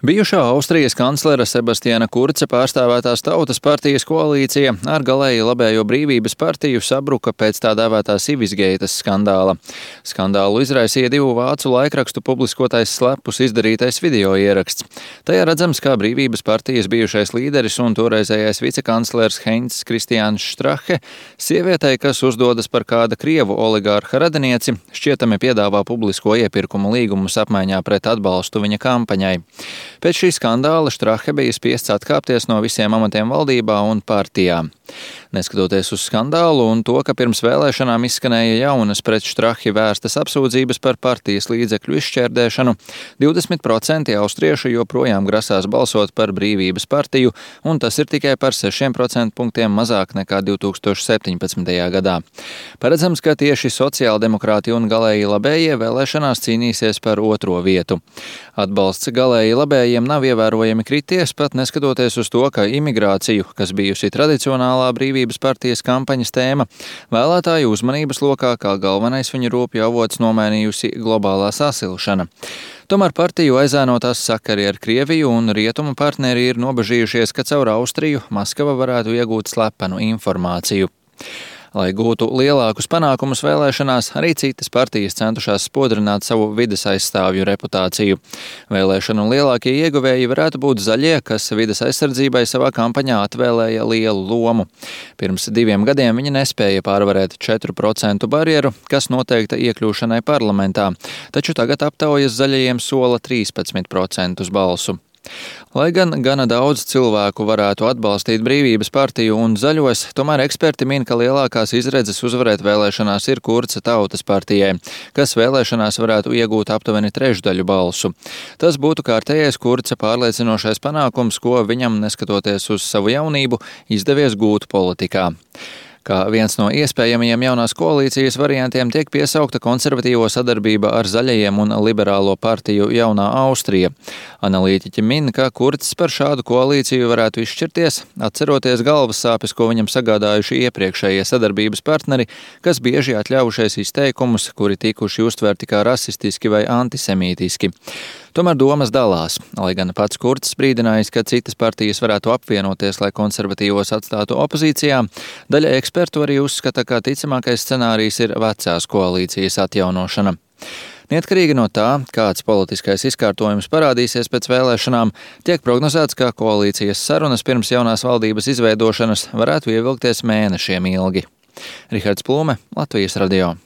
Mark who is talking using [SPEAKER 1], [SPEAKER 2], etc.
[SPEAKER 1] Bijušā Austrijas kanclera Sebastiana Kurca pārstāvētās Tautas partijas koalīcija ar galēji labējo Brīvības partiju sabruka pēc tā dēvētā Civisgeitas skandāla. Skandālu izraisīja divu vācu laikrakstu publiskotais slepus izdarītais video ieraksts. Tajā redzams, kā Brīvības partijas bijušais līderis un toreizējais vicekanclers Heinz Kristiāns Strache sievietei, kas uzdodas par kāda krievu oligārha radinieci, šķietami piedāvā publisko iepirkumu līgumus apmaiņā pret atbalstu viņa kampaņai. Pēc šī skandāla Strache bija spiests atkāpties no visiem amatiem valdībā un partijā. Neskatoties uz skandālu un to, ka pirms vēlēšanām izskanēja jaunas pret Strachi vērstas apsūdzības par partijas līdzekļu izšķērdēšanu, 20% austriešu joprojām grasās balsot par Brīvības partiju, un tas ir tikai par 6% punktiem mazāk nekā 2017. gadā. Paredzams, ka tieši sociāldemokrāti un galēji labējie vēlēšanās cīnīsies par otro vietu. Atbalsts galēji labējiem nav ievērojami krities, pat neskatoties uz to, ka imigrāciju, kas bijusi tradicionālā Brīvības partijas kampaņas tēma, vēlētāju uzmanības lokā kā galvenais viņu rūpju avots nomainījusi globālā sasilšana. Tomēr partiju aizēnotās sakari ar Krieviju un rietumu partneri ir nobažījušies, ka caur Austriju Maskava varētu iegūt slepenu informāciju. Lai gūtu lielākus panākumus vēlēšanās, arī citas partijas centušās spodrināt savu vides aizstāvju reputāciju. Vēlēšanu lielākie ieguvēji varētu būt zaļie, kas vides aizsardzībai savā kampaņā atvēlēja lielu lomu. Pirms 2 gadiem viņi nespēja pārvarēt 4% barjeru, kas noteikta iekļūšanai parlamentā, taču tagad aptaujas zaļajiem sola 13% balsu. Lai gan gana daudz cilvēku varētu atbalstīt Brīvības partiju un zaļos, tomēr eksperti min, ka lielākās izredzes uzvarēt vēlēšanās ir Kurca Tautas partijai, kas vēlēšanās varētu iegūt aptuveni 1/3 balsu. Tas būtu kārtējais Kurca pārliecinošais panākums, ko viņam, neskatoties uz savu jaunību, izdevies gūt politikā. Kā viens no iespējamajiem jaunās koalīcijas variantiem tiek piesaukta konservatīvo sadarbība ar zaļajiem un liberālo partiju Jaunā Austrija. Analītiķi min, ka Kurcs par šādu koalīciju varētu izšķirties, atceroties galvas sāpes, ko viņam sagādājuši iepriekšējie sadarbības partneri, kas bieži atļaujušies izteikumus, kuri tikuši uztverti kā rasistiski vai antisemītiski. Tomēr domas dalās, lai gan pats Kurcs brīdinājis, ka citas partijas varētu apvienoties, lai konservatīvos atstātu opozīcijā, daļa ekspertu arī uzskata, ka ticamākais scenārijs ir vecās koalīcijas atjaunošana. Neatkarīgi no tā, kāds politiskais izkārtojums parādīsies pēc vēlēšanām, tiek prognozēts, ka koalīcijas sarunas pirms jaunās valdības izveidošanas varētu ievilkties mēnešiem ilgi. Rihards Plūme, Latvijas radio.